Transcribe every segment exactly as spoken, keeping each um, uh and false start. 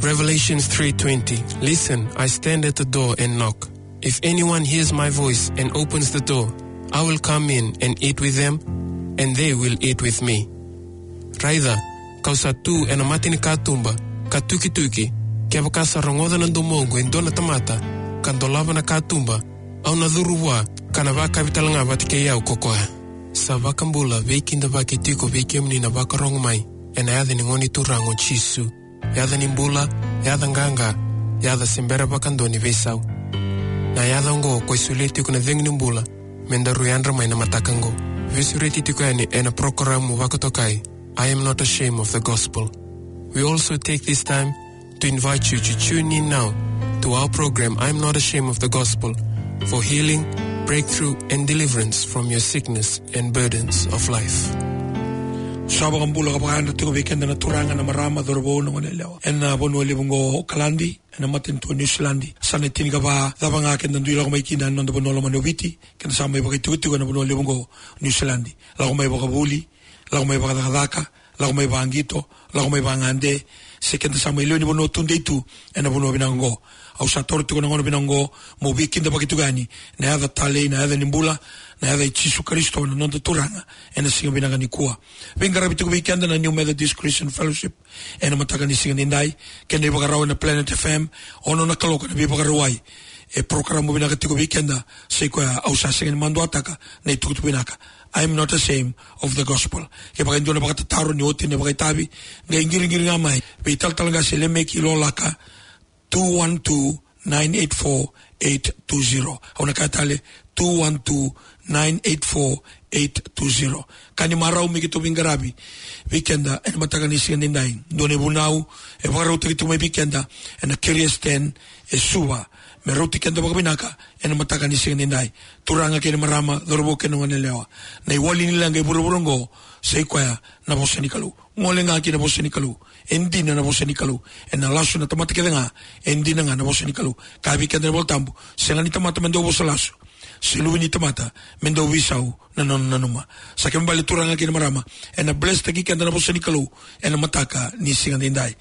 Revelations three twenty. "Listen, I stand at the door and knock. If anyone hears my voice and opens the door, I will come in and eat with them, and they will eat with me." Raica, kau sa tu ena mata ni katuba, ka tukituki, kevaka sa rogoca na domoqu e dua na tamata, ka dolava na katuba, au na curu vua, ka na vakavi tale ga vata kei au ko koya. Sa vakabula, veikidavaki tiko vei kemuni na vakarogo mai, ena yaca ni Gone Turaga o Jisu. Yaca ni bula, yaca qaqa, yaca se bera vakadua ni veisau. Na yaca oqo ko e solia tiko na cegu ni bula, me daru yadra mai na mataka oqo. Veisureti tiko yani ena porokaramu vakatokai, I Am Not Ashamed of the Gospel. We also take this time to invite you to tune in now to our program, I Am Not Ashamed of the Gospel, for healing, breakthrough, and deliverance from your sickness and burdens of life. Sa vakabula ka vakayadra tiko vei keda na turaga, na marama, cauravou, na goneyalewa ena vanua levu oqo o Okaladi, ena matanitu o Niusiladi. Sa na tinikava cava ga keda dui lako mai kina ena noda vanua lomani o Viti, keda sa mai vakaitikotiko ena vanua levu oqo o Niusiladi. Lako mai vakavuli, lako mai vakacakacaka, lako mai vaqito, lako mai vagade, se keda sa mai lewe ni vanua tudei tu ena vanua vinaka oqo. Au sa taura tiko na gauna vinaka oqo meu veikidavaki tiko yani na yaca talei, na yaca ni bula, na yaca i Jisu Karisito na noda Turaga, ena siga vinaka nikua. Veiqaravi tiko vei keda na New Methodist Christian Fellowship ena mataka ni siga nidai, kei na ivakarau ena Planet F M, ono na kaloko na veivakarauwai. E porokaramu vinaka tiko vei keda, sa i koya au sa sega ni maduataka na itukutuku vinaka. I Am Not Ashamed of the Gospel. Kevaka e dua na vakatataro ni oti na vakaitavi, qai qiriqiri ga mai vei Talatala Qase Lemeki Lolaka, two one two, nine eight four, eight two zero. Au na kaya tale, two one two, nine eight four, eight two zero. Ka ni marau me keitou veiqaravi vei keda ena mataka ni siga nidai. Dua na ivunau e vakarautaki tiko mai vei keda ena Kerias Ten e Suva, me rauti keda vakavinaka ena mataka ni siga nidai. Turaga kei na marama, cauravou kei na goneyalewa, na iwali ni leqa e vuravura oqo sa i koya na vosa ni Kalou. Gole ga ki na vosa ni Kalou. E dina na vosa ni Kalou. Ena lasu na tamata kece ga, e dina ga na vosa ni Kalou. Kaya vei keda na iVolatabu, sega ni tamata me dau vosa lasu, se luve ni tamata me dau veisau na nona nanuma. Sa kena ibalebale, turaga kei na marama, ena blesstaki keda na vosa ni Kalou ena mataka ni siga nidai.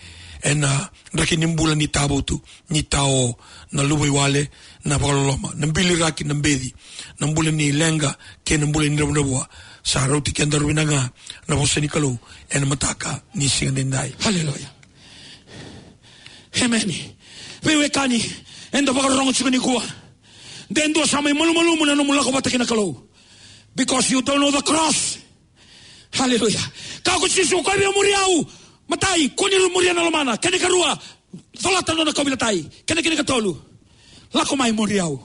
Ena draki ni bula ni tavotu, ni tao, na luvaiwale, na vakaloloma, na biliraki, na beci, na bula ni leqa kei na bula ni dravudravua. Sa rauti kedaru vinaka ga na vosa ni Kalou ena mataka ni siga nidai. Haleluya. Emeni. Veiwekani, eda vakarorogo tiko nikua. De dua sa mai malumalumu na nomu lako vata kei na Kalou. Because you don't know the cross. Haleluya. Kaya ko Jisu, ko via muri au, matai, kua ni muria na lomana. Kena ikarua, colata na nona kauveilatai. Kena, kena ikatolu, lako mai muri au.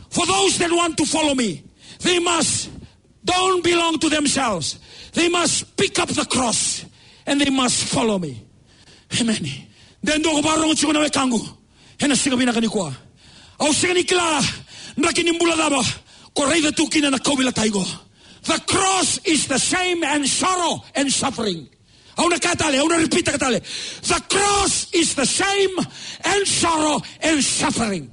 For those that want to follow me, they must don't belong to themselves. They must pick up the cross and they must follow me. Emeni. De dua ko vakarorogo tiko na wekaqu ena siga vinaka nikua. Au sega ni kila draki ni bula cava ko raica tu kina na kauveilatai qo. The cross is the same and sorrow and suffering. Au na kaya tale, au na repeat-taka tale. The cross is the same and sorrow and suffering.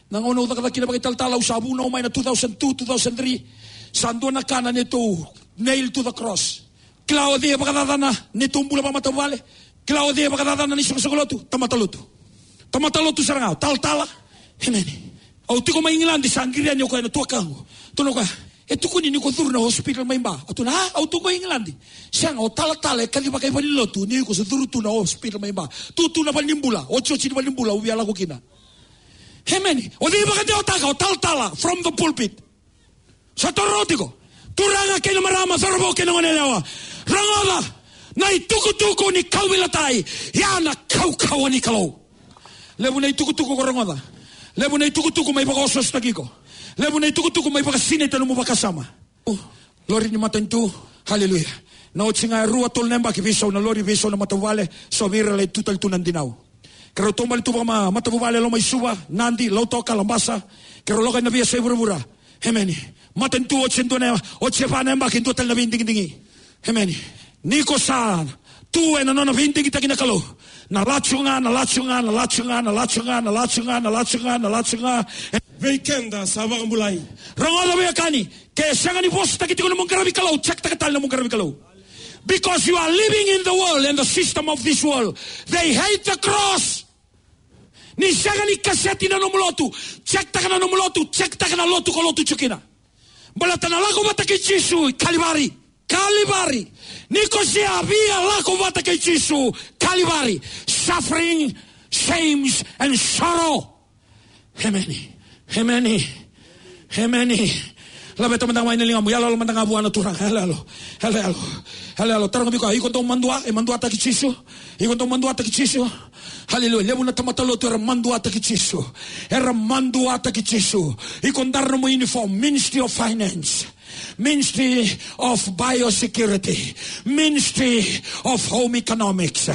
Na gauna au cakacaka kina vakaitalatala, au sa vunau mai na two thousand two, two thousand three. Sa dua na ka na neitou nail to the cross. Kila o cei e vakacacana neitou bula vakamatavuvale? Kila o cei e vakacacana na isoqosoqo lotu? Tamata lotu. Tamata lotu sara ga, o talatala. Emeni. Au tiko mai Igiladi, sa qiri yani o koya na tuakaqu. Tukuna o koya, e tukuni ni ko curu na hospital mai Ba. Au tukuna, a, au tu qo i Igiladi. Sega, o talatala e kacivaka i valenilotu, ni ko sa curu tu na hospital mai Ba. Tu tu na valenibula, otioti ni valenibula au via lako kina. Emeni. O cei vakadewataka? O talatala, from the pulpit. Sa tororo tiko. Turaga kei na marama, cauravou kei na goneyalewa, rogoca. Na itukutuku ni kauveilatai, ya na kaukauwa ni Kalou. Levu na itukutuku ko rogoca. Levu na itukutuku mai vakaosoosotaki iko. Levu na itukutuku mai vakasinaita nomu vakasama. O, lori ni matanitu. Haleluya. Na oti ga e rua, tolu na yabaki, veisau na lori, veisau na matavuvale. So vei ira lai tu tale tu na dinau. Keirau taubale tu vakamatavuvale e loma i Suva, Nadi, Lautoka, Labasa. Keirau lako ena veiyasai vuravura. Emeni. Matanitu oti e dua na, oti e va na yabaki, dua tale na veidigidigi. Emeni. Ni ko sa tu ena nona veidigitaki na Kalou, na lacu ga, na lacu ga, na lacu ga. Vei keda sa vakabulai. Rogoca veiwekani, ke sega ni vosataki tiko na nomu qaravi Kalou, check-taka tale na nomu qaravi Kalou. Because you are living in the world and the system of this world. They hate the cross. Ni sega ni kaseti na nomu lotu, check-taka na nomu lotu, check-taka na lotu ko lotu tiko kina. Baleta na lako vata kei Jisu i Kalivari. Kalivari. Ni ko se a via lako vata kei Jisu, Kalivari. Suffering, shames, and sorrow. Emeni. Emeni. Emeni. Laveta mada ga mai na ligamu. Yaloyalo mada ga vua na Turaga. Yaloyalo. Yaloyalo. Yaloyalo. Taroga vei koya, iko dau madua, e maduataki Jisu? Iko dau maduataki Jisu? Haleluya. Levu na tamata lotu era maduataki Jisu. Era maduataki Jisu. Iko dara nomu uniform, Ministry of Finance, Ministry of Biosecurity, Ministry of Home Economics,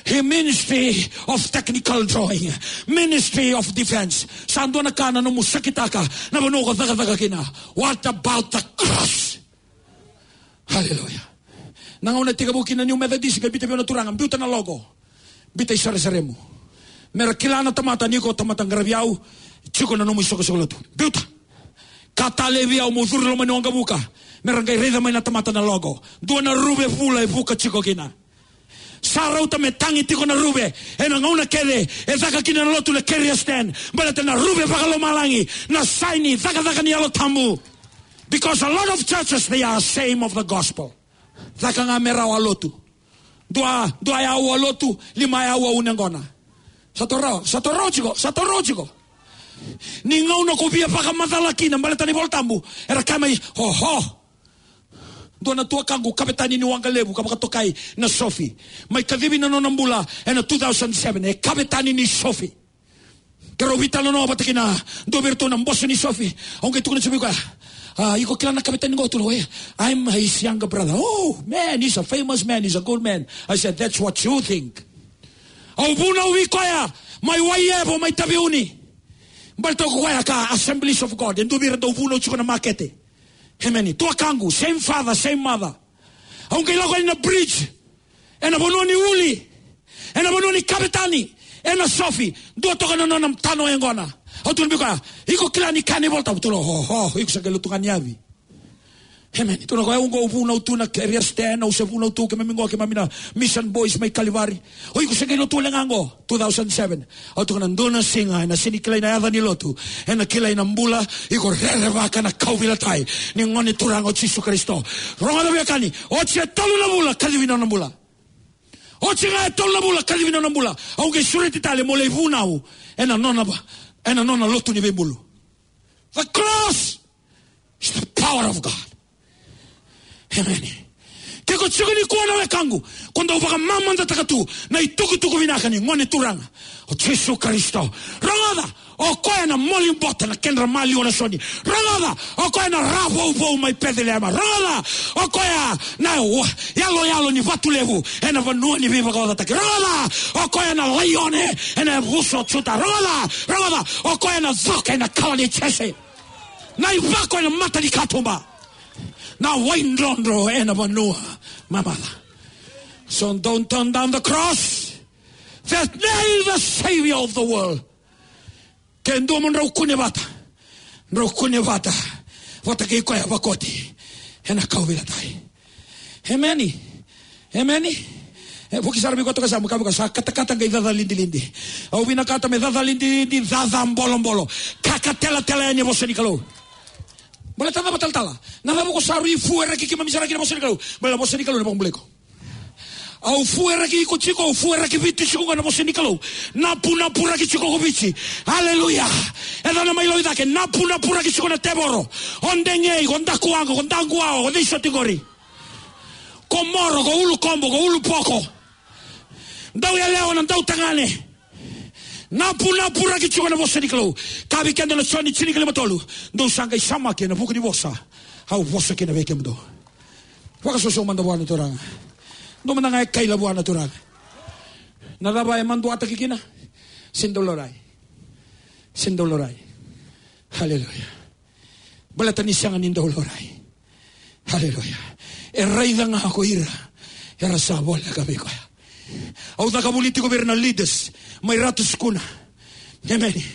he Ministry of Technical Drawing, Ministry of Defense. Sa dua na ka na nomu sakitaka na vanua ko cakacaka kina. What about the cross? Haleluya. Na gauna tekivu kina New Methodist, qai biuta vei au na Turaga, biuta na logo. Biuta i saresaremu. Mera kila na tamata ni ko tamata qaravi au, tiko na nomu isoqosoqo lotu. Biuta. Ka talei vei au meu curu loma ni waqavuka. Mera qai raica mai na tamata na logo. Dua na ruve vula e vuka tiko kina. Sa rauta me tagi tiko na ruve ena gauna kece e caka kina na lotu na Kyrgyzstan. Baleta na ruve vakalomalagi, na saini cakacaka ni Yalo Tabu. Because a lot of churches, they are ashamed of the gospel. Caka ga me rawa lotu. Dua, dua e aua lotu, lima e aua une qona. Sa to rawa, sa to rawa tiko, sa to rawa tiko. Ni gauna ko via vakamacala kina baleta na iVola Tabu, era kaya mai, oho. Dua na tuakaqu, kavetani ni waqa levu, ka vakatokai na Sofi. Mai kacivi na nona bula ena two thousand seven, e kavetani ni Sofi. Keirau veitalanoa vata kina dua vei iratou na boso ni Sofi. Au qai tukuna tiko vei koya, a, iko kila na kavetani qo? Tukuna o koya, I'm his younger brother. Oh, man, he's a famous man, he's a good man. I said, that's what you think. Au vunau vei koya mai Waiyevo, mai Taveuni. Baleta o koya ka Assemblies of God, e dua vei ira dau vunau tiko na makete. Emeni. Tuakaqu, same father, same mother. Au qai lako yani na bridge, ena vanua ni uli, ena vanua ni kavetani, ena Sofi, dua toka na nona tano yaqona. Au tukuna vei koya, iko kila ni kaya na iVola Tabu? Tukuna, oho, iko sa qai lotu ga ni yavi. Emeni. Tukuna o koya, au qo au vunau tu na Kyrgyzstan, au se vunau tu, keimami qo, keimami na Mission Boys mai Kalivari. O iko se qai lotu wale ga qo, two thousand seven. Au tukuna, dua na siga ena sega ni kilai na yaca ni lotu, ena kilai na bula. Iko rerevaka na kauveilatai ni Gone Turaga o Jisu Karisito. Rogoca veiwekani, oti e tolu na vula kacivi na nona bula. Oti ga e tolu na vula kacivi na nona bula. Au qai sureti tale mo lai vunau ena nona va, ena nona lotu ni veibulu. The cross is the power of God. Emeni. Ke ko tiko nikua na wekaqu, ko dau vakamamadataka tu na itukutuku vinaka ni Gone Turaga o Jisu Karisito. Rogoca, o koya na moli bota na kedra maliwa na soni. Rogoca, o koya na ra vouvou mai Peceliema. Rogoca, o koya na wa-, yaloyalo ni vatu levu ena vanua ni veivakaocataki. Rogoca, o koya na laione ena yavusa o Juta. Rogoca, rogoca, o koya na coka ena kawa nei Jese. Na ivako ena mata ni katuba. Na waidrodro ena vanua mamaca. So don't turn down the cross. There's nail the Savior of the world. Ke dua mo drau kune vata, drau kune vata vata kei koya vakoti ena kauveilatai. Emeni. Emeni. E, vuki sara vei koya toka sa muka, vuka sa katakata qai caca lidilidi. Au vinakata me caca lidilidi, caca bolobolo. Kakatelatela yani e vosa ni Kalou. Baleta na cava talatala? Na cava ko sa rui fueraki keimami sara kina vosa ni Kalou? Baleta vosa ni Kalou na vakabulai iko. Au fueraki iko tiko, au fueraki Viti tiko ga na vosa ni Kalou. Napunapuraki tiko ko Viti. Aleluya. E ca na mai Lauicake, napunapuraki tiko na tevoro. O Degei, ko Dakuwaqa, ko Dakuwawa, ko Ceisotigori. Ko Moro, ko Ulukobo, ko Ulupoko. Dauyalewa, na dautagane. Napunapuraki tiko na vosa ni Kalou. Kaya vei keda na Joni tinikalima tolu. Dou sa qai samaki ena vuku ni vosa au vosa kina vei kemudou. Vakasoso mada vua na Turaga. Dou mada ga e kaila vua na Turaga. Na cava e maduataki kina? Sega ni dau laurai. Sega ni dau laurai. Aleluya. Baleta ni sega ni dau laurai. Aleluya. E raica ga ko ira era sa voleka vei koya. Au caka vuli tiko vei ira na leaders mai Ratu Sukuna. Emeni.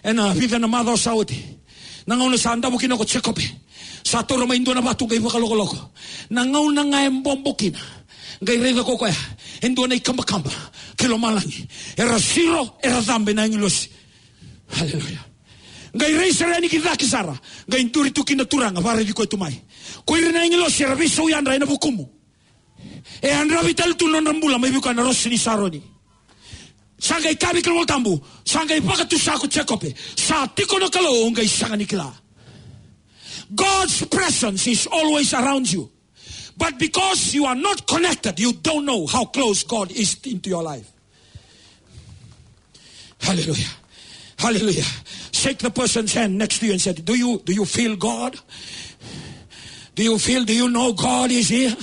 Ena vica na macawa sa oti, na gauna sa davo kina ko Jekope, sa taura mai dua na vatu qai vakalokoloko. Na gauna ga e bobo kina, qai raica ko koya e dua na ikabakaba ki lomalagi. Era siro, era cabe na agilosi. Haleluya. Qai rai sara yani ki cake sara, qai duri tu kina na Turaga, vakaraici koya tu mai. Ko ira na agilosi era veisau yadra ena vukumu. E yadravi tale tu na nodra bula mai vei koya na Rosi ni Saroni. Sa qai kaya vei keda na iVolatabu, sa qai vakatusa ko Jekope, sa tiko na Kalou, au qai sega ni kila. God's presence is always around you. But because you are not connected, you don't know how close God is into your life. Hallelujah. Hallelujah. Shake the person's hand next to you and say, "Do you, do you feel God? Do you feel, do you know God is here?"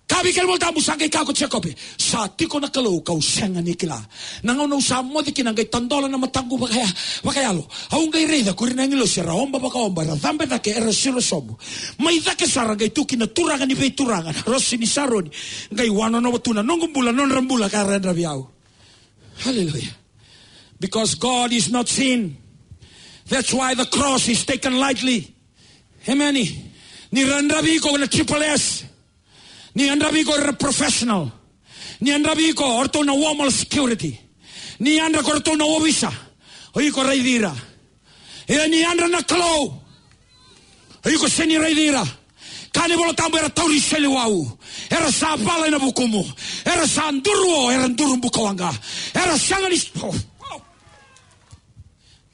Kaya vei keda na iVolatabu, sa qai kaya ko Jekope, sa tiko na Kalou kau sega ni kila. Na gauna au sa moce kina, qai tadola na mataqu vakaya, vakayalo. Au qai raica ko ira na agilosi era oba vakaoba, era cabe cake, era siro sobu. Mai cake sara qai tu kina na Turaga ni veituraga, na Rosi ni Saroni. Qai wanonova tu na noqu bula, nodra bula ka ra yadravi au. Hallelujah. Because God is not seen. That's why the cross is taken lightly. Amen. Ni ra yadravi iko na triple S. Ni yadravi iko na professional. Ni yadravi iko o ratou na Homeland Security. Ni yadra ko ratou na ovisa. O iko raici ira. Ia ni yadra na Kalou, o iko sega ni raici ira. Kaya na iVolatabu era tauri seleiwau. Era sa vala ena vukumu. Era sa duruo, era duru bukawaqa. Era sega ni, oh, oh.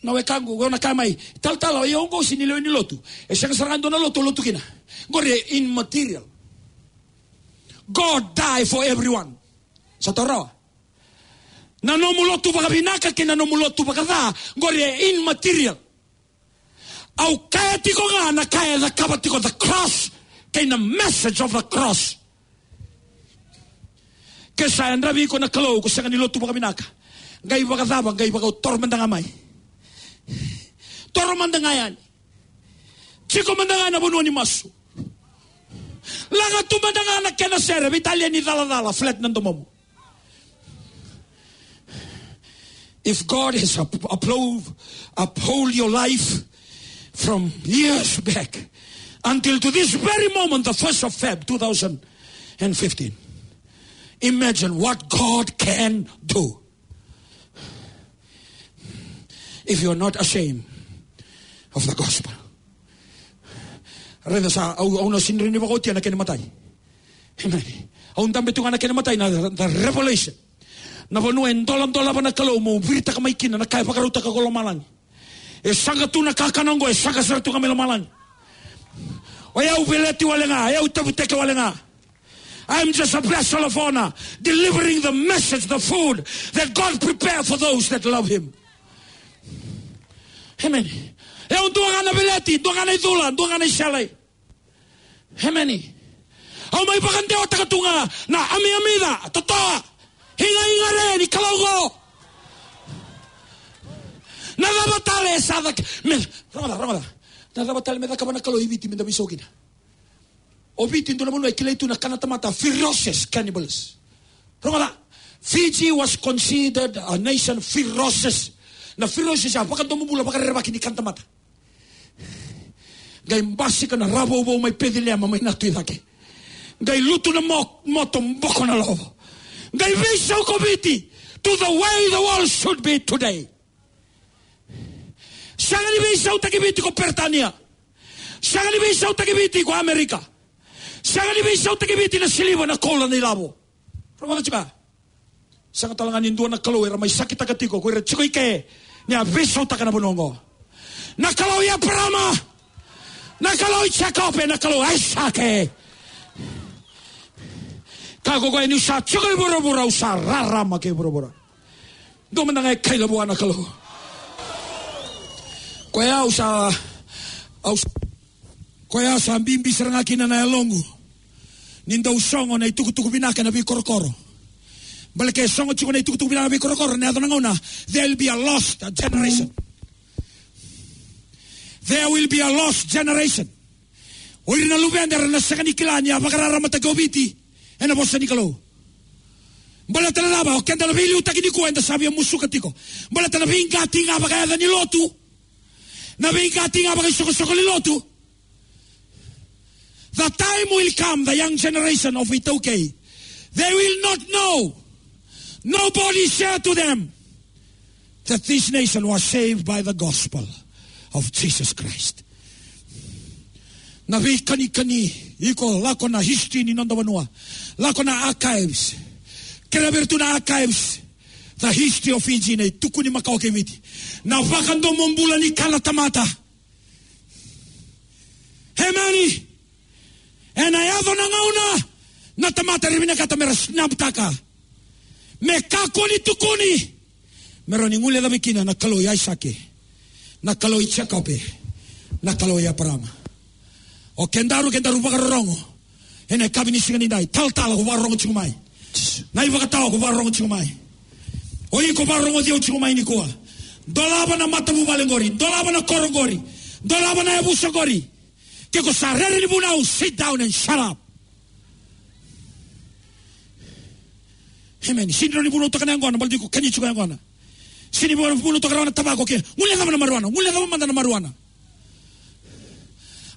Na wekaqu, o na kaya mai, talatala, o yau qo sega ni lewe ni lotu. E sega sara ga dua na lotu o lotu kina. Qori e immaterial. God die for everyone. Sa taura. Na nomu lotu vakavinaka kei na nomu lotu vakaca, qori e immaterial. Au kaya tiko ga na ka e cakava tiko the cross, kei na message of the cross. Ke sa yadravi iko na Kalou, ko sega ni lotu vakavinaka. Qai vakacava, qai vakatoro mada ga mai. Toro mada ga yani. Tiko mada ga na vanua ni masu. Laga tu mada ga na kena sere, veitalia ni calacala, flat na domomu. If God has up-, uphold, uphold your life from years back until to this very moment, the first of Feb two thousand and fifteen, imagine what God can do if you are not ashamed of the gospel. Raica sa, au, au na sega ni rawa ni vakaotia na kena imatai. Amen. Au dabe tu ga na kena imatai na, the revelation. Na vanua e doladolava na Kalou mo viritaka mai kina na ka e vakarautaka ko lomalagi. E saqa tu na kakana oqo, e saqa sara tu ga mai lomalagi. O yau veleti wale ga, o yau tavuteke wale ga. I'm just a vessel of honor, delivering the message, the food that God prepare for those that love Him. Amen. O yau dua ga na veleti, dua ga na icula, dua ga na iselai. Amen. Au mai vakadewataka tu ga na amiyamica, totoa, igaiga re ni Kalou qo. Na cava tale e sa cake, me, rogoca, rogoca. Na cava tale me cakava na Kalou i Viti me da veisau kina? O Viti dua na vanua e kilai tu na kana tamata, ferocious cannibals. Rogoca, Fiji was considered a nation ferocious. Na ferocious ya vakadomobula, vakarerevaki ni kana tamata. Qai basika na ravouvou mai Peceliema, mai na tu i cake. Qai lutu na mo-, moto, boko na lovo. Qai veisau ko Viti to the way the world should be today. Sega ni veisautaki Viti ko Peritania. Sega ni veisautaki Viti ko Amerika. Sega ni veisautaki Viti na siliva, na koula, na ilavo. Rogoca tiko. Sega tale ga ni dua na Kalou era mai sakitaka tiko ko ira tiko i ke ni a veisautaka na vanua oqo. Na Kalou i Eparama, na Kalou i Jekope, na Kalou i Aisake. Kaya ko koya, niu sa tiko i vuravura, au sa rarama kei vuravura. Dua mada ga e kaila vua na Kalou. Koya au sa, au sa, koya sa bibi sara ga kina na yaloqu ni dau sogo na itukutuku vinaka ena veikorokoro. Baleta ke sogo tiko na itukutuku vinaka ena veikorokoro, ena yaco na gauna, there will be a lost generation. There will be a lost generation. O ira na luveda era na sega ni kila ni a vakararamataki o Viti ena vosa ni Kalou. Baleta na cava? O keda na veiliutaki nikua eda sa via musuka tiko. Baleta na veiqati ga vakayaca ni lotu, na veiqati ga vakaisoqosoqo ni lotu. The time will come, the young generation of iTaukei, They will not know. Nobody share to them that this nation was saved by the gospel of Jesus Christ. Na veikanikani, iko lako na history ni noda vanua. Lako na archives. Kere vei iratou na archives. The history of Fiji, na itukuni makawa kei Viti. Na vakadomobula ni kana tamata. Emeni. Ena yaco na gauna, na tamata era vinakata mera snaptaka. Me kakua ni tukuni. Mera ni guilecavi kina na Kalou i Aisake, na Kalou i Jekope, na Kalou i Eparaama. O kedaru, kedaru vakarorogo. Ena yakavi ni siga nidai, talatala ko vakarorogo tiko mai. Na ivakatawa ko vakarorogo tiko mai. O iko vakarorogo tiko mai nikua. Dolava na matavuvale qori, dolava na koro qori, dolava na yavusa qori. Ke ko sa rere ni vunau, sit down and shut up. Emeni. Sega ni vunautaka na yaqona, baleta iko kania tiko yaqona. Sega ni vunautaka rawa na tavako ke. Guilecava na marijuana, guilecava mada na marijuana.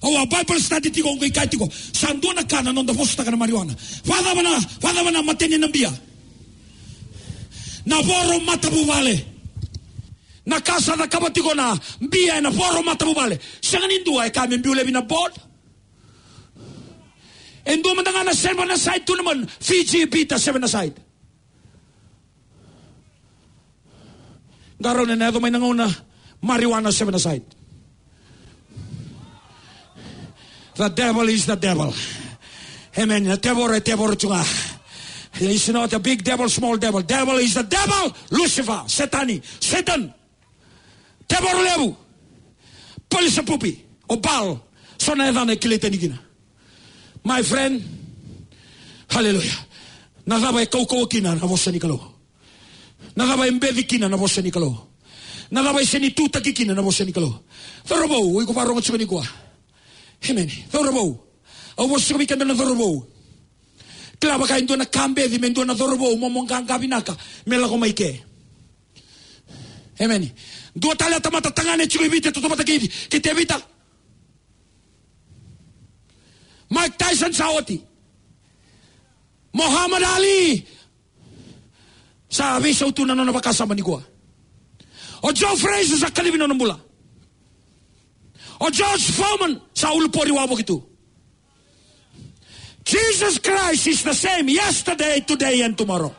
Au a Bible study tiko, au qai kaya tiko, sa dua na ka na noda vosataka na marijuana. Vakacava na, vakacava na mateni na bia? Na voro matavuvale. Na ka sa cakava tiko na bia ena voro matavuvale. Sega ni dua e kaya me biu laivi na board. E dua mada ga na seven-a-side tournament, Fiji beat a seven-a-side. Qarauna ena yaco mai na gauna, marijuana seven-a-side. The devil is the devil. Emeni. Na tevoro e tevoro tu ga. It's not a big devil, small devil. Devil is the devil. Lucifer, Setani, Satan. Tevoro levu. Palisapupi, o Baal. So na yacana e kilai tani kina. My friend, hallelujah. Na cava e kaukauwa kina na vosa ni Kalou? Na cava e beci kina na vosa ni Kalou? Na cava e sega ni tutaki kina na vosa ni Kalou? Cauravou, o iko vakarorogo tiko nikua. Emeni. Cauravou. Au vosa tiko vei keda na cauravou. Kila vaka e dua na ka beci me dua na cauravou, mo, mo qaqa vinaka me lako mai ke. Emeni. Dua tale na tamata tagane tiko i Viti, e tautauvata kei, kei Tevita. Mike Tyson sa oti. Muhammad Ali sa veisau tu na nona vakasama nikua. O Joe Frazier sa kacivi nona bula. O George Foreman sa ulupori wavoki tu. Jesus Christ is the same yesterday, today, and tomorrow.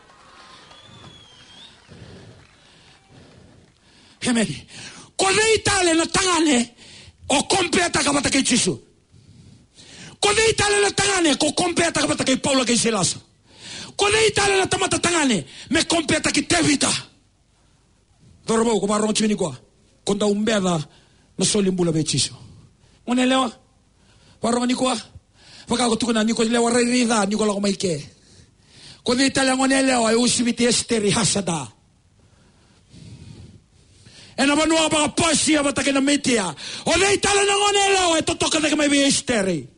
Emeni. Ko cei tale na tagane o compare-taka vata kei Jisu? Ko cei tale na tagane ko compare-taka vata kei Paula kei Sailasa? Ko cei tale na tamata tagane me compare-taki Tevita? Cauravou, ko vakarorogo tiko nikua, ko dau beca na soli bula vei Jisu. Gone yalewa, vakarorogo nikua. Vaka ko tukuna, ni ko lewa rairai ca, ni ko lako mai ke. Ko cei tale na gone yalewa e uasiviti Esiteri Hasada ena vanua vaka-Pasia vata kei na Mitia? O cei tale na gone yalewa e totoka cake mai vei Esiteri?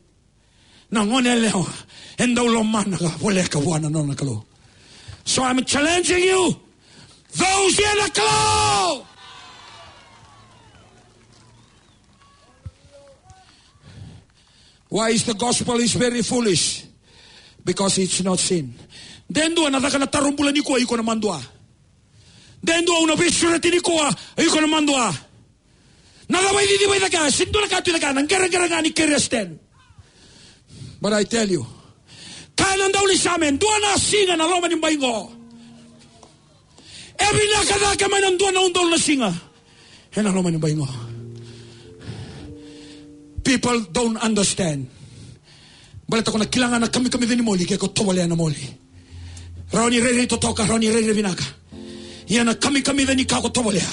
Na gone yalewa e dau lomana ka voleka vua na nona Kalou. So I'm challenging you, those here na Kalou. Why is the gospel is very foolish? Because it's not seen. De dua na caka na taro bula nikua, iko na madua. De dua au na veisureti nikua, iko na madua. Na cava e cicivaki cake? Sega ni dua na ka tu cake, na qereqere ga ni Christian. But I tell you, kaya na daunisame, dua na siga na loma ni bai qo e vinaka cake mai na dua na udolu na siga ena loma ni bai qo. People don't understand. Baleta ko na kila ga na kamikamica ni moli ke ko tovolea na moli. Rawa ni rairai totoka, rawa ni rairai vinaka. Ia na kamikamica ni ka ko tovolea,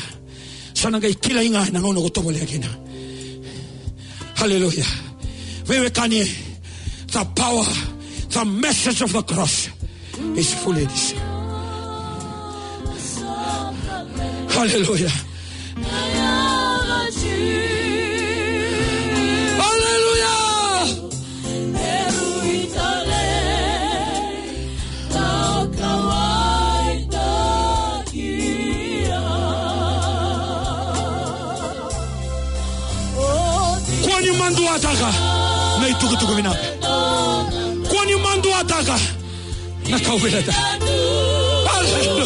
sa na qai kilai ga ena gauna ko tovolea kina. Hallelujah. Veiwekani, the power, the message of the cross is foolish. Hallelujah. Hallelujah. Kua ni maduataka na itukutuku vinaka. Kua ni maduataka Na kau vinakata. Aleluya.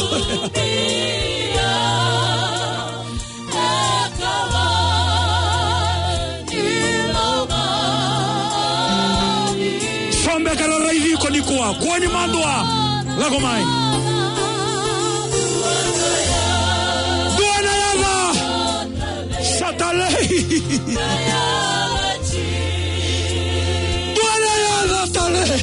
Sa beka ra raici iko nikua, kua ni madua. Lako mai. Dua na yaca. Sa talei. Dua na yaca talei.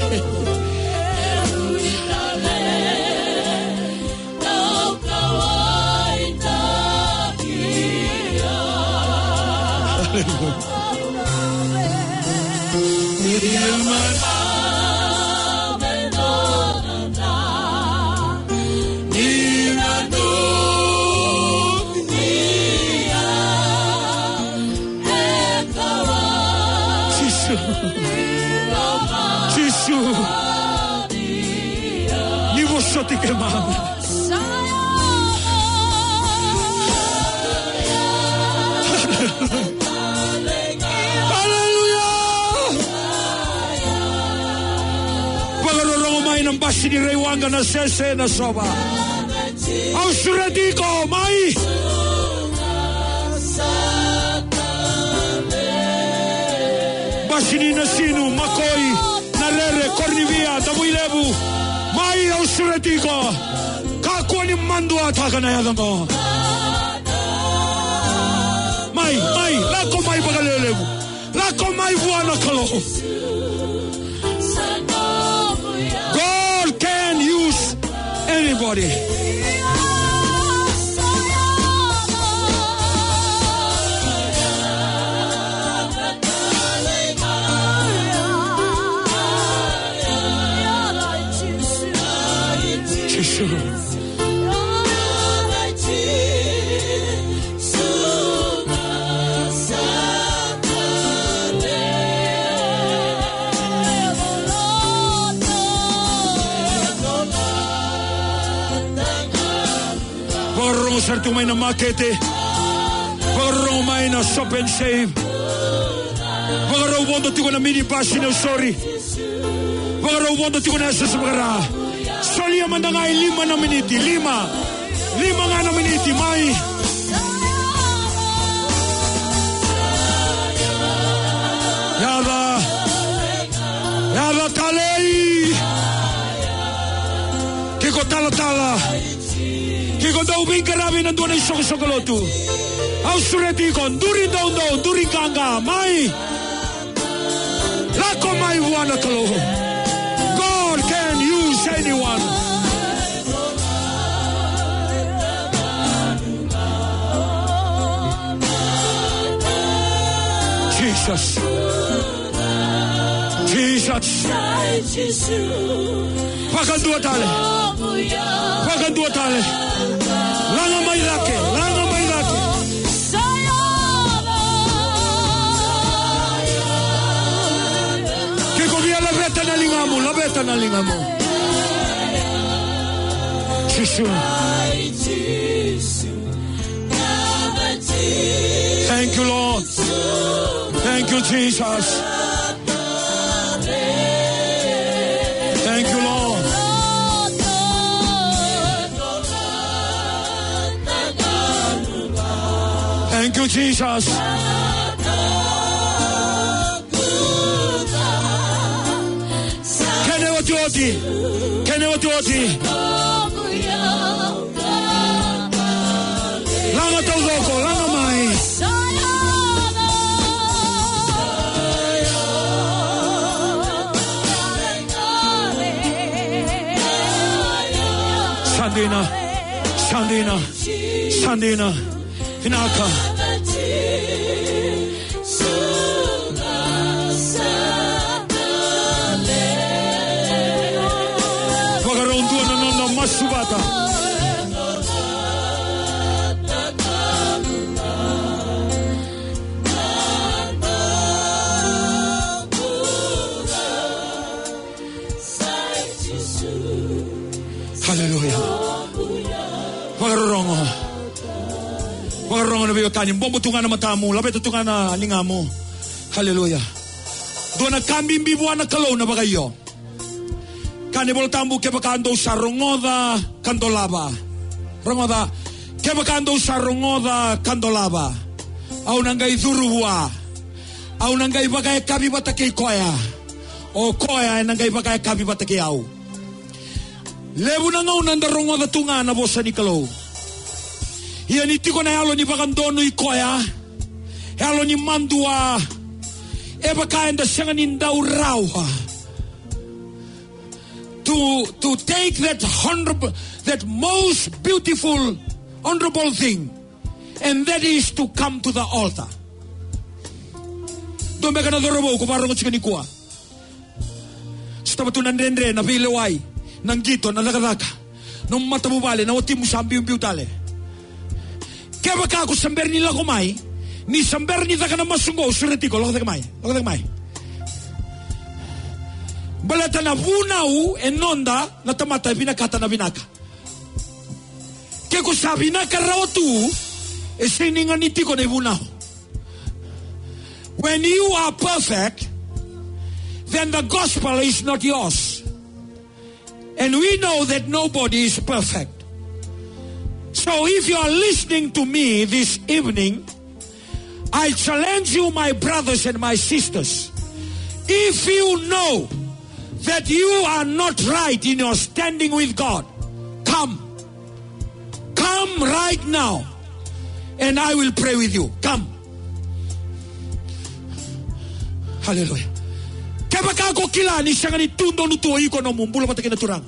Jisu. Jisu. Ni vosoti keimami. Aleluya. Vakarorogo mai na basi ni Raiwaqa, Nasese, Nasova. Au sureti iko mai. Basi ni Nasinu, Makoi, Narere, Koronivia, Davuilevu. Mai, au sureti iko. Kakua ni maduataka na yaca qo. Mai, mai, lako mai vakalevulevu. Lako mai vua na Kalou. God can use anybody. Jisu. Vakarorogo sara tu mai na makete. Vakarorogo mai na Shop and Save. Vakarau vodo tiko na minibus ni Nausori. Vakarau vodo tiko na S S Vakara. Solia mada ga e lima na miniti, lima. Lima ga na miniti, mai. Yaca. Yaca talei. Ke ko talatala. Ke ko dau veiqaravi ena dua na isoqosoqo lotu. Au sureti iko, duri doudou, duri qaqa, mai. Lako mai vua na Kalou. God can use anyone. Jesus. Jesus. Vakadua tale. Vakadua tale. Laga mai cake. Laga mai cake. Ke ko via laveta na ligamu, laveta na ligamu. Jisu. Thank you, Lord. Thank you, Jesus. Thank you, Lord. Thank you, Jesus. Kena otioti. Kena otioti. Laga taucoko, laga mai. Sa dina, sa dina, sa dina. Vinaka. Vakarau dua na noda masu vata. Haleluya. Vakarorogo. Vakarorogo na veiwekani. Bobo tu ga na matamu. Laveta tu ga na ligamu. Haleluya. Dua na ka bibi vua na Kalou na vakaio. Ka Ni Vola Tabu, kevaka dou sa rogoca ka dolava. Rogoca, kevaka dou sa rogoca ka dolava, au na qai curu vua. Au na qai vakayakavi vata kei koya. O koya ena qai vakayakavi vata kei au. Levu na gauna da rogoca tu ga na vosa ni Kalou. Ia ni tiko na yalo ni vakadonui koya, yalo ni madua, e vaka eda sega ni dau rawa to, to take that honorable, that most beautiful, honorable thing, and that is to come to the altar. Dua beka na cauravou ko vakarorogo tiko nikua. Sotava tu na dredre, na veilewai, na qito, na cakacaka, na matavuvale, na watimu sa biubiu tale. Kevaka ko sa bera ni lako mai, ni sa bera ni caka na masu qo, sureti iko, lako cake mai, lako cake mai. Baleta na vunau e noda na tamata e vinakata na vinaka. Ke ko sa vinaka rawa tu, e sega ni ganiti iko na ivunau. When you are perfect, then the gospel is not yours. And we know that nobody is perfect. So if you are listening to me this evening, I challenge you, my brothers and my sisters. If you know that you are not right in your standing with God, come. Come right now, and I will pray with you. Come. Hallelujah. Kevaka ko kila ni sega ni tu donu tu o iko, nomu bula vata kei na Turaga.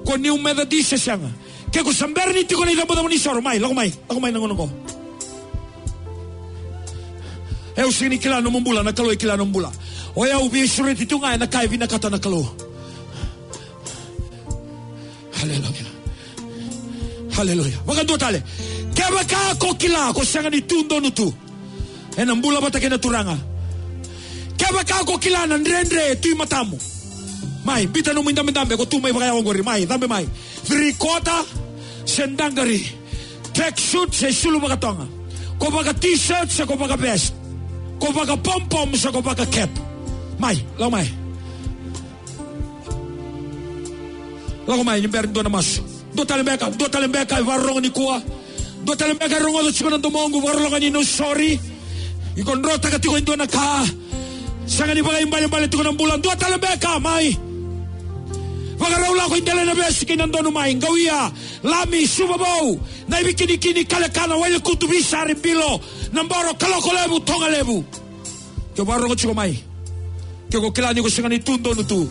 Ko New Methodist se sega. Ke ko sa bera ni tiko na icabocabo ni soro, mai, lako mai, lako mai na gauna qo. E, au sega ni kila nomu bula, na Kalou e kila nomu bula. O yau veisureti tu ga ena ka e vinakata na Kalou. Haleluya. Haleluya. Vakadua tale. Kevaka ko kila ko sega ni tu donu tu ena bula vata kei na Turaga. Kevaka ko kila na dredre e tu i matamu, mai, biuta nomu idabedabe, ko tu mai vakayawa qori, mai, cabe mai. Three quarter se daqari, track suit se sulu vakatoga, ko vaka t-shirt se ko vaka vest, ko vaka pompom se ko vaka cap. Mai, lako mai. Lako mai ni bera ni dua na masu. Dua tale beka, dua tale beka e vakarorogo nikua. Dua tale beka e rogoca tiko na domoqu, vakarorogo ni no sorry. Iko drotaka tiko e dua na ka. Sega ni vakaibalebale tiko na bula. Dua tale beka, mai. Vakarau lako i dela na vesi kei na donu, mai. Qauia, Lami, Suvavou, Naivikinikini, Kalekana, Wailekutu, Visari, Bilo, Naboro, Kalokolevu, Togalevu. Ke o vakarorogo tiko, mai. Ke ko kila ni ko sega ni tu donu tu.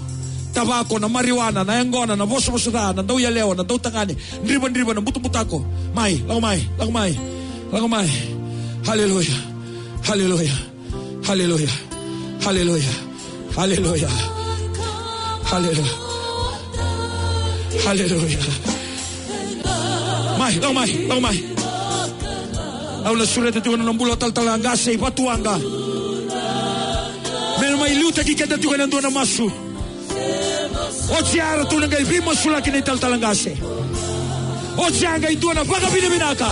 Tavako, na marijuana, na yaqona, na vosavosa ca, na dauyalewa, na dautagane, drivadriva, na butabutako. Mai, lako mai, lako mai, lako mai. Haleluya. Haleluya. Haleluya. Haleluya. Haleluya. Haleluya. Haleluya. Mai, lako mai, lako mai. Au na sureta tiko na bula talatala qase i Vatuwaqa. Me na mai liutaki keda tiko ena dua na masu. Oti ya ratou na qai veimasulaki na italatala qase. Oti ya qai dua na vakavinavinaka.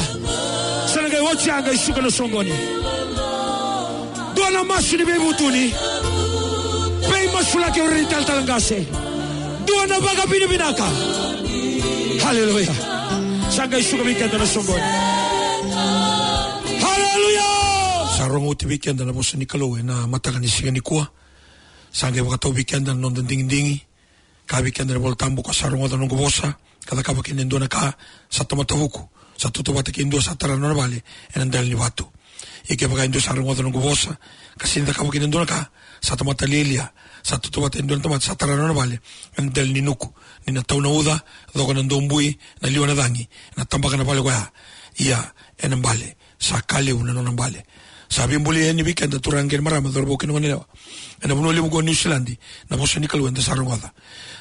Sa na qai oti ya qai suka na soqoni. Dua na masu ni veivutuni. Veimasulaki o ira na italatala qase. Dua na vakavinavinaka. Haleluya. Sa qai suka vei keda na soqoni. Haleluya. Sa rogo oti vei keda na vosa ni Kalou ena mataka ni siga nikua. Sa qai vakatau vei keda na noda digidigi. Kaya vei keda na iVolatabu, ko sa rogoca na noqu vosa ka cakava kina e dua na ka, sa tamata vuku, sa tautauvata kei dua sa tara na nona vale ena dela ni vatu. Ia kevaka e dua sa rogoca na noqu vosa ka sega ni cakava kina e dua na ka, sa tamata lialia, sa tautauvata e dua na tamata sa tara na nona vale ena dela ni nuku, ni na tau na uca, coka na dobui, na liwa na cagi, na tabaka na vale koya. Ia ena bale, sa ka levu na nona bale. Sa veibolei yani vei keda turaga kei na marama, cauravou kei na goneyalewa ena vanua levu oqo Niusiladi, na vosa ni Kalou eda sa rogoca.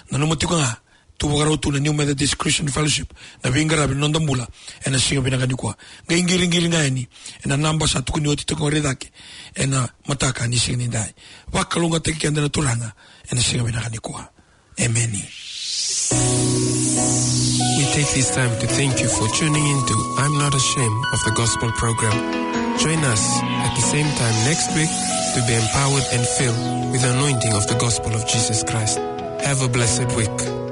Nanuma tiko ga, tu vakarau tu na New Methodist Christian Fellowship na veiqaravi na noda bula ena siga vinaka nikua. Qai qiriqiri ga yani ena naba sa tukuni oti toka qori cake ena mataka ni siga nidai. Vakalougatataki keda na Turaga ena siga vinaka nikua. Emeni. We take this time to thank you for tuning in to I'm Not Ashamed of the Gospel program. Join us at the same time next week to be empowered and filled with the anointing of the gospel of Jesus Christ. Have a blessed week.